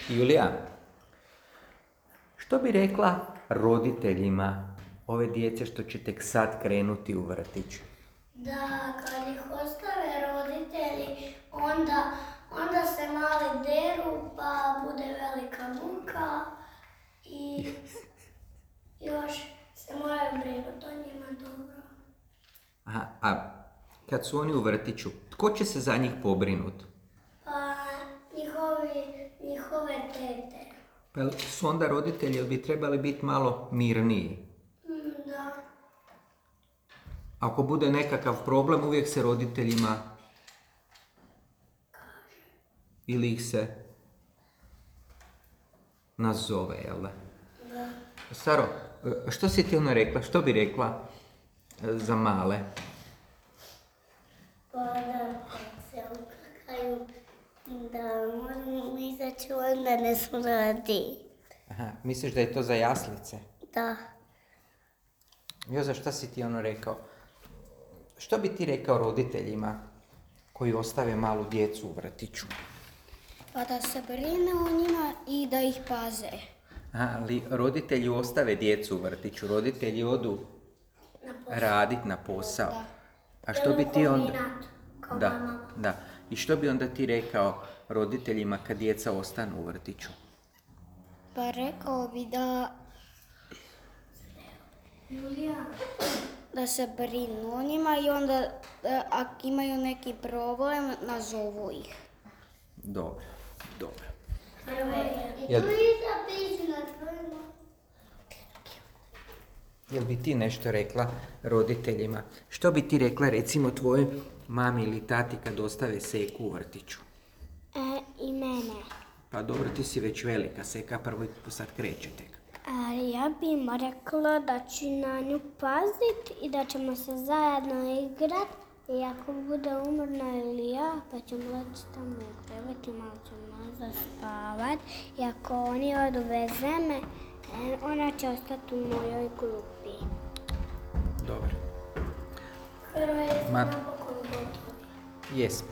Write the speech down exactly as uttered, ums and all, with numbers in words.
Julija, što bi rekla roditeljima ove djece što će tek sad krenuti u vrtić? Da, kad ih ostave roditelji, onda, onda se mali deru, pa bude velika muka i još se moraju brinuti o njima dobro. Aha, a kad su oni u vrtiću, tko će se za njih pobrinuti? Pa njihovi, njihove tete. Pa jel su onda roditelji bi trebali biti malo mirniji? Mm, da. Ako bude nekakav problem, uvijek se roditeljima ili ih se nazove, jel da? Da. Saro, što si ti ono rekla? Što bi rekla za male? Pa da, kad se ukakaju, da moramo izaći, onda ne smrdi. Aha, misliš da je to za jaslice? Da. Joza, šta si ti ono rekao? Što bi ti rekao roditeljima koji ostave malu djecu u vrtiću? Pa da se brine o njima i da ih paze. Aha, ali roditelji ostave djecu u vrtiću, roditelji odu radit na posao. Da. A što bi ti onda... Kao Da, mama. da. I što bi onda ti rekao roditeljima kad djeca ostanu u vrtiću? Pa rekao bi da... Julija. Da se brinu o njima i onda da, ako imaju neki problem, nazovu ih. Dobro, dobro. Jel... Jel bi ti nešto rekla roditeljima? Što bi ti rekla recimo tvojoj mami ili tati kad ostave Seku u vrtiću? E, I mene. Pa dobro, ti si već velika, Seka prvo sad kreće tek. Ali ja bi im rekla da ću na nju paziti i da ćemo se zajedno igrat. I ako bude umorna ili ja, pa ćemo leći tamo u krevet i malo ćemo nazad spavat. I ako oni odu bez mene, ona će ostati u mojoj klupi. Dobro. Prvo je Ma- napokon gotovo. Jesmo.